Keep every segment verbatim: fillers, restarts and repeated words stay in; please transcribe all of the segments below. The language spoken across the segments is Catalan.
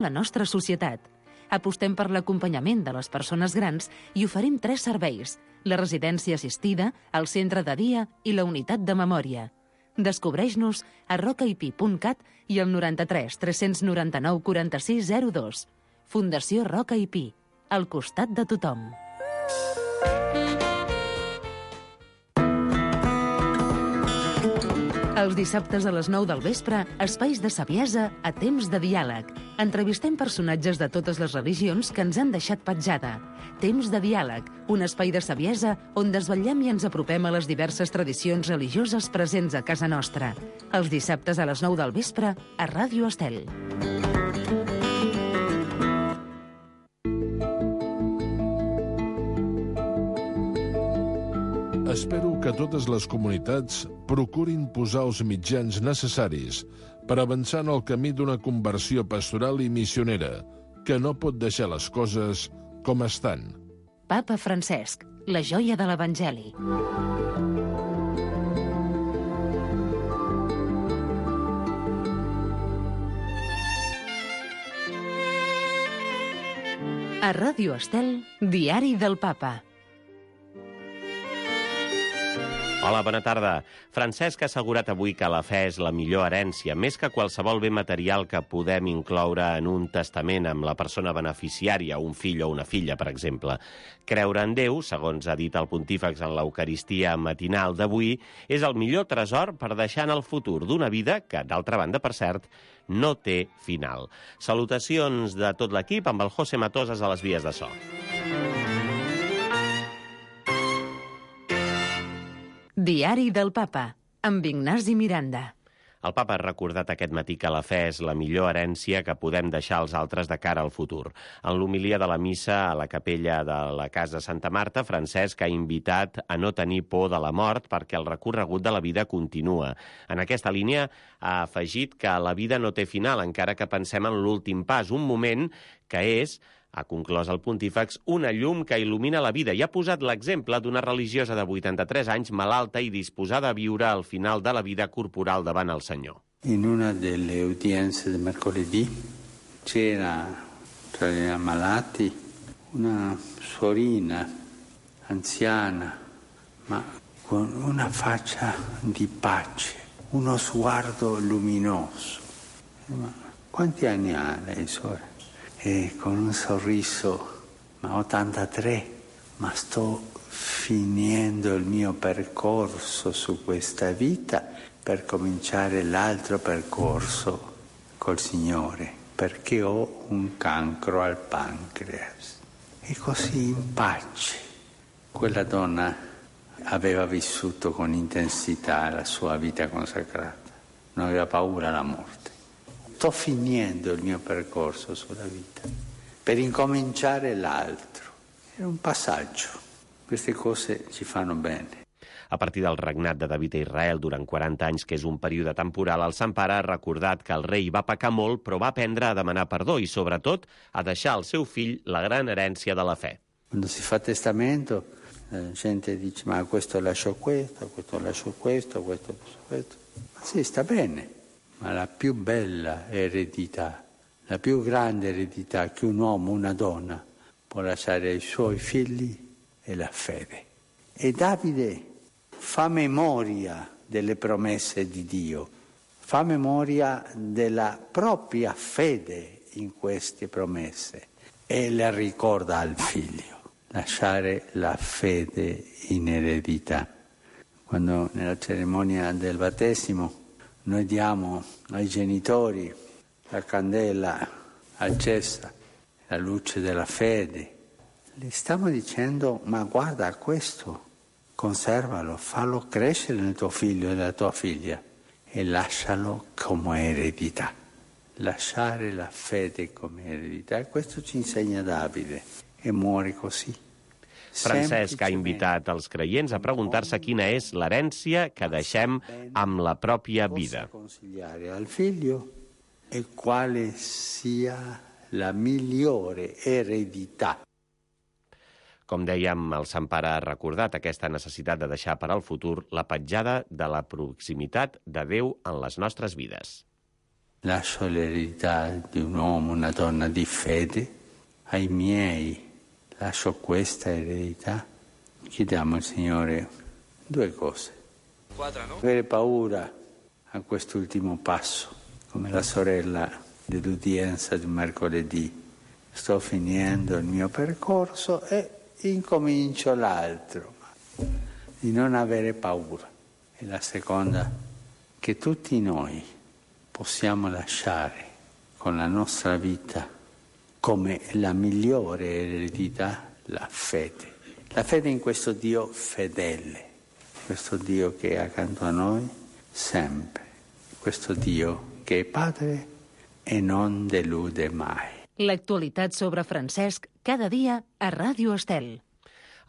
la nostra societat. Apostem per l'acompanyament de les persones grans i oferim tres serveis: la residència assistida, el centre de dia i la unitat de memòria. Descobreix-nos a rocaip punt cat i al noranta-tres tres noranta-nou quaranta-sis zero dos. Fundació Roca i Pi, al costat de tothom. Els dissabtes a les nou del vespre, espais de saviesa a temps de diàleg. Entrevistem personatges de totes les religions que ens han deixat petjada. Temps de diàleg, un espai de saviesa on desvetllem i ens apropem a les diverses tradicions religioses presents a casa nostra. Els dissabtes a les nou del vespre a Ràdio Estel. Espero que totes les comunitats procurin posar els mitjans necessaris per avançar en el camí d'una conversió pastoral i missionera, que no pot deixar les coses com estan. Papa Francesc, la joia de l'Evangeli. A Ràdio Estel, Diari del Papa. Hola, bona tarda. Francesc ha assegurat avui que la fe és la millor herència, més que qualsevol bé material que podem incloure en un testament amb la persona beneficiària, un fill o una filla, per exemple. Creure en Déu, segons ha dit el pontífex en l'Eucaristia matinal d'avui, és el millor tresor per deixar en el futur d'una vida que, d'altra banda, per cert, no té final. Salutacions de tot l'equip amb el José Matosas a les vies de so. Diari del Papa, amb Ignasi Miranda. El papa ha recordat aquest matí que la fe és la millor herència que podem deixar als altres de cara al futur. En l'homilia de la missa a la capella de la Casa Santa Marta, Francesc ha invitat a no tenir por de la mort perquè el recorregut de la vida continua. En aquesta línia ha afegit que la vida no té final, encara que pensem en l'últim pas, un moment que és, ha conclòs el pontífex, una llum que il·lumina la vida i ha posat l'exemple d'una religiosa de vuitanta-tres anys malalta i disposada a viure al final de la vida corporal davant el Senyor. In una delle udienze del mercoledì c'era tra gli ammalati una suorina anziana, ma con una faccia di pace, uno sguardo luminoso. Ma quanti anni ha lei, suora? E con un sorriso, ma ottantatré, ma sto finendo il mio percorso su questa vita per cominciare l'altro percorso col Signore, perché ho un cancro al pancreas. E così in pace. Quella donna aveva vissuto con intensità la sua vita consacrata, non aveva paura della morte. Sto finendo il mio percorso sulla vita per incominciare l'altro. È un passaggio. Queste cose ci fanno bene. A partir del regnat de David a Israel durant quaranta anys, que és un període temporal, el Sant Pare ha recordat que el rei va pecar molt, però va aprendre a demanar perdó i, sobretot, a deixar al seu fill la gran herència de la fe. Quando si fa testamento, la gente dice, ma questo lascio questo, questo lascio questo, questo lascio questo. Ma sì, sta bene. Ma la più bella eredità, la più grande eredità che un uomo, una donna può lasciare ai suoi figli è la fede. E Davide fa memoria delle promesse di Dio, fa memoria della propria fede in queste promesse e le ricorda al figlio. Lasciare la fede in eredità. Quando nella cerimonia del battesimo noi diamo ai genitori la candela accesa, la luce della fede. Le stiamo dicendo, ma guarda questo, conservalo, fallo crescere nel tuo figlio e nella tua figlia e lascialo come eredità. Lasciare la fede come eredità. E questo ci insegna Davide e muore così. Francesc ha invitat els creients a preguntar-se quina és l'herència que deixem amb la pròpia vida. Consigliare al figlio e quale sia la migliore eredità. Com dèiem, el Sant Pare ha recordat aquesta necessitat de deixar per al futur la petjada de la proximitat de Déu en les nostres vides. lascio l'eredità di un uomo, una donna di fede, ai miei lascio questa eredità. Chiediamo al Signore due cose. Quadra, no? Avere paura a quest'ultimo passo, come la sorella dell'udienza di mercoledì. Sto finendo il mio percorso e incomincio l'altro. Di non avere paura. E la seconda, che tutti noi possiamo lasciare con la nostra vita come la migliore eredità la fede. La fede in questo Dio fedele, questo Dio che è accanto a noi sempre, questo Dio che è Padre e non delude mai. L'actualitat sobre Francesc cada dia a Ràdio Estel.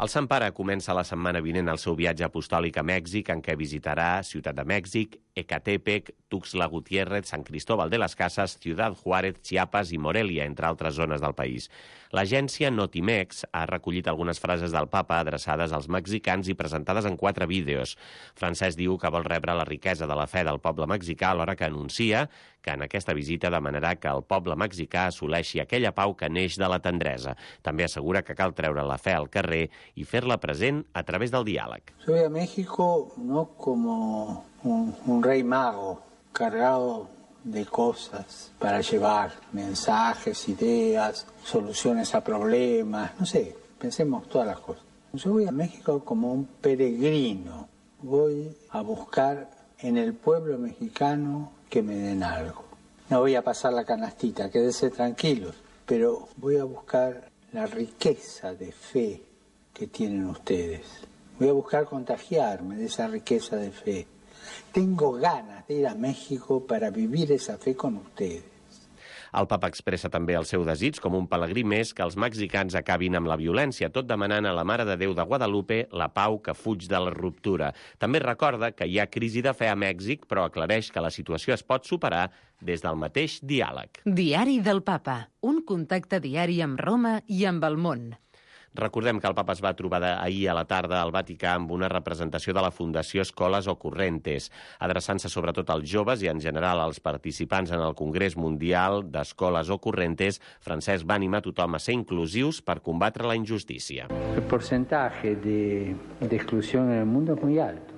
El Sant Pare comença la setmana vinent el seu viatge apostòlic a Mèxic, en què visitarà Ciutat de Mèxic, Ecatepec, Tuxtla Gutiérrez, San Cristóbal de las Casas, Ciudad Juárez, Chiapas i Morelia, entre altres zones del país. L'agència Notimex ha recollit algunes frases del papa adreçades als mexicans i presentades en quatre vídeos. Francesc diu que vol rebre la riquesa de la fe del poble mexicà, alhora que anuncia que en aquesta visita demanarà que el poble mexicà assoleixi aquella pau que neix de la tendresa. També assegura que cal treure la fe al carrer i fer-la present a través del diàleg. Yo voy a México no como un, un rey mago cargado de cosas para llevar mensajes, ideas, soluciones a problemas, no sé, pensemos todas las cosas. Yo voy a México como un peregrino, voy a buscar en el pueblo mexicano que me den algo. No voy a pasar la canastita, quédense tranquilos, pero voy a buscar la riqueza de fe que tienen ustedes. Voy a buscar contagiarme de esa riqueza de fe. Tengo ganas de ir a México para vivir esa fe con ustedes. El papa expressa també el seu desig com un pelegrí més que els mexicans acabin amb la violència, tot demanant a la Mare de Déu de Guadalupe la pau que fuig de la ruptura. També recorda que hi ha crisi de fe a Mèxic, però aclareix que la situació es pot superar des del mateix diàleg. Diari del Papa, un contacte diari amb Roma i amb el món. Recordem que el papa es va trobar ahir a la tarda al Vaticà amb una representació de la Fundació Escoles Ocorrentes, adreçant-se sobretot als joves i en general als participants en el Congrés Mundial d'Escoles Ocorrentes. Francesc va animar tothom a ser inclusius per combatre la injustícia. El porcentaje de, de exclusión en el mundo es muy alto,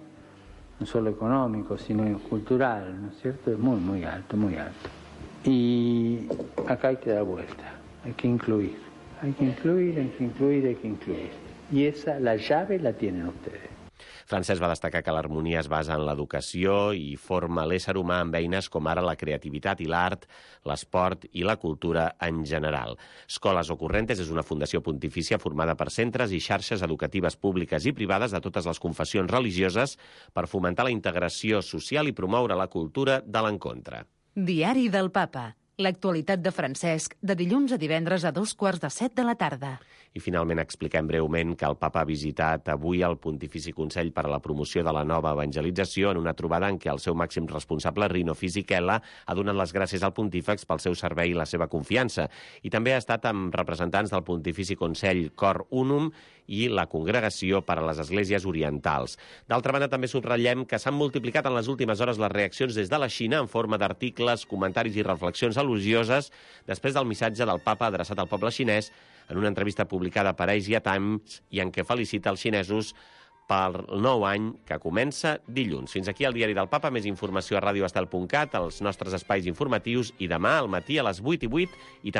no solo económico, sino cultural, ¿no es cierto? Es muy, muy alto, muy alto. Y acá hay que dar vuelta, hay que incluir. Hay que incluir, hay que incluir, hay que incluir. Y esa, la llave la tienen ustedes. Francesc va destacar que l'harmonia es basa en l'educació i forma l'ésser humà amb eines com ara la creativitat i l'art, l'esport i la cultura en general. Escoles Ocorrentes és una fundació pontifícia formada per centres i xarxes educatives públiques i privades de totes les confessions religioses per fomentar la integració social i promoure la cultura de l'encontre. Diari del Papa. L'actualitat de Francesc, de dilluns a divendres a dos quarts de set de la tarda. I finalment expliquem breument que el papa ha visitat avui el Pontifici Consell per a la Promoció de la Nova Evangelització en una trobada en què el seu màxim responsable, Rino Fisichella, ha donat les gràcies al pontífex pel seu servei i la seva confiança. I també ha estat amb representants del Pontifici Consell Cor Unum i la Congregació per a les Esglésies Orientals. D'altra banda, també subratllem que s'han multiplicat en les últimes hores les reaccions des de la Xina en forma d'articles, comentaris i reflexions elogioses després del missatge del papa adreçat al poble xinès en una entrevista publicada per Asia Times i en què felicita els xinesos pel nou any que comença dilluns. Fins aquí el Diari del Papa. Més informació a radioestel punt cat, als nostres espais informatius i demà al matí a les vuit i vuit i també